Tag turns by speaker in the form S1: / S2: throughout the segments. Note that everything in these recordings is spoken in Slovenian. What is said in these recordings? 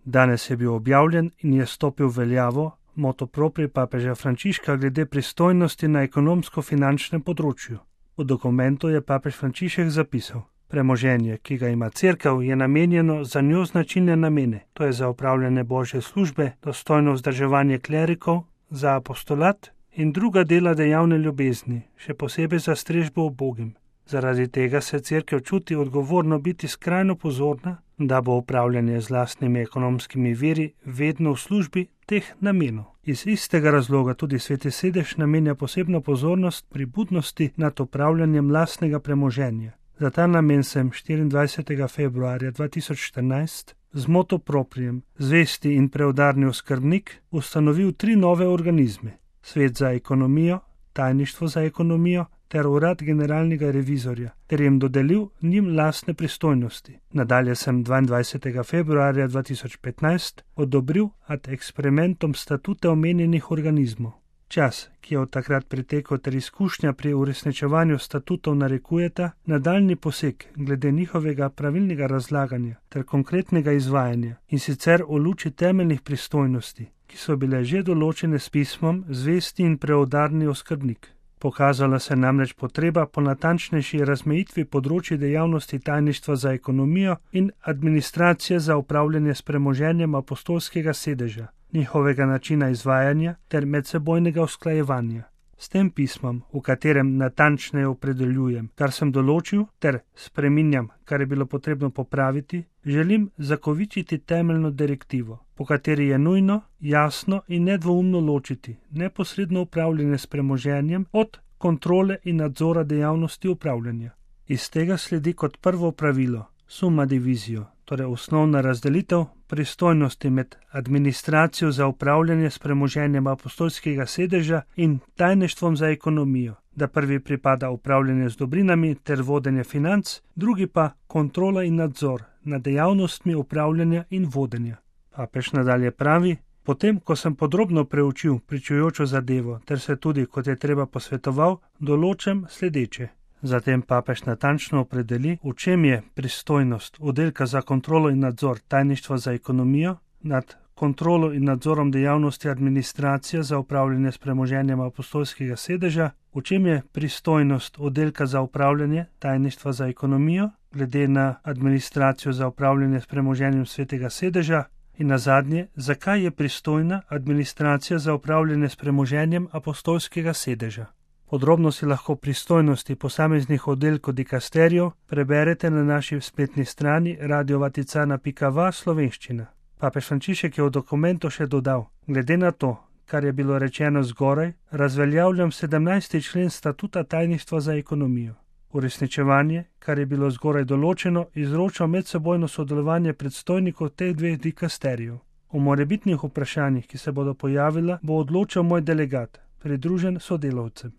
S1: Danes je bil objavljen in je stopil v veljavo motu proprii papeža Frančiška glede pristojnosti na ekonomsko-finančnem področju. V dokumentu je papež Frančišek zapisal: premoženje, ki ga ima cerkev, je namenjeno za njo značilne namene, to je za opravljanje božje službe, dostojno vzdrževanje klerikov, za apostolat in druga dela dejavne ljubezni, še posebej za strežbo ubogim. Zaradi tega se cerkev čuti odgovorno biti skrajno pozorna, da bo upravljanje z lastnimi ekonomskimi viri vedno v službi teh namenov. Iz istega razloga tudi Sveti sedež namenja posebno pozornost pri budnosti nad upravljanjem lastnega premoženja. Za ta namen sem 24. februarja 2014 z motu proprijem Zvesti in preudarni oskrbnik ustanovil 3 nove organizme: Svet za ekonomijo, Tajništvo za ekonomijo ter Urad generalnega revizorja, ter jim dodelil njim lastne pristojnosti. Nadalje sem 22. februarja 2015 odobril ad experimentum statute omenjenih organizmov. Čas, ki je od takrat pretekel, ter izkušnja pri uresničevanju statutov narekujeta nadaljnji poseg glede njihovega pravilnega razlaganja ter konkretnega izvajanja, in sicer v luči temeljnih pristojnosti, ki so bile že določene s pismom Zvesti in preudarni oskrbnik. Pokazala se namreč potreba po natančnejši razmejitvi področji dejavnosti tajništva za ekonomijo in administracije za upravljanje s premoženjem apostolskega sedeža, njihovega načina izvajanja ter medsebojnega usklajevanja. S tem pismom, v katerem natančneje opredeljujem, kar sem določil, ter spreminjam, kar je bilo potrebno popraviti, želim zakovičiti temeljno direktivo, po kateri je nujno, jasno in nedvoumno ločiti neposredno upravljanje s premoženjem od kontrole in nadzora dejavnosti upravljanja. Iz tega sledi kot prvo pravilo summa divisio, torej osnovna razdelitev pristojnosti med administracijo za upravljanje s premoženjem apostolskega sedeža in tajništvom za ekonomijo, da prvi pripada upravljanje z dobrinami ter vodenje financ, drugi pa kontrola in nadzor nad dejavnostmi upravljanja in vodenja. Papež nadalje pravi: potem, ko sem podrobno preučil pričujočo zadevo ter se tudi, kot je treba, posvetoval, določam sledeče. Zatem papež natančno opredeli, v čem je pristojnost oddelka za kontrolo in nadzor tajništva za ekonomijo nad kontrolo in nadzorom dejavnosti administracije za upravljanje s premoženjem apostolskega sedeža, v čem je pristojnost oddelka za upravljanje tajništva za ekonomijo glede na administracijo za upravljanje s premoženjem svetega sedeža in nazadnje, zakaj je pristojna administracija za upravljanje s premoženjem apostolskega sedeža. Podrobno si lahko pristojnosti posameznih oddelkov dikasterijev preberete na naši spletni strani radiovaticana.va slovenščina. Papež Frančišek je v dokumentu še dodal: glede na to, kar je bilo rečeno zgoraj, razveljavljam 17. člen statuta tajništva za ekonomijo. Uresničevanje, kar je bilo zgoraj določeno, izroča medsebojno sodelovanje predstojnikov teh 2 dikasterijev. O morebitnih vprašanjih, ki se bodo pojavila, bo odločal moj delegat, pridružen sodelavcem.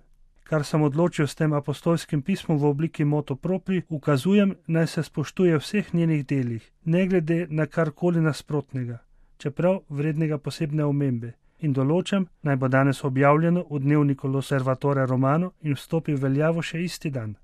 S1: Kar sem odločil s tem apostolskim pismom v obliki motu proprii, ukazujem, naj se spoštuje v vseh njenih delih, ne glede na karkoli nasprotnega, čeprav vrednega posebne omembe, in določam, naj bo danes objavljeno v dnevniku L'Osservatore Romano in vstopi v veljavo še isti dan.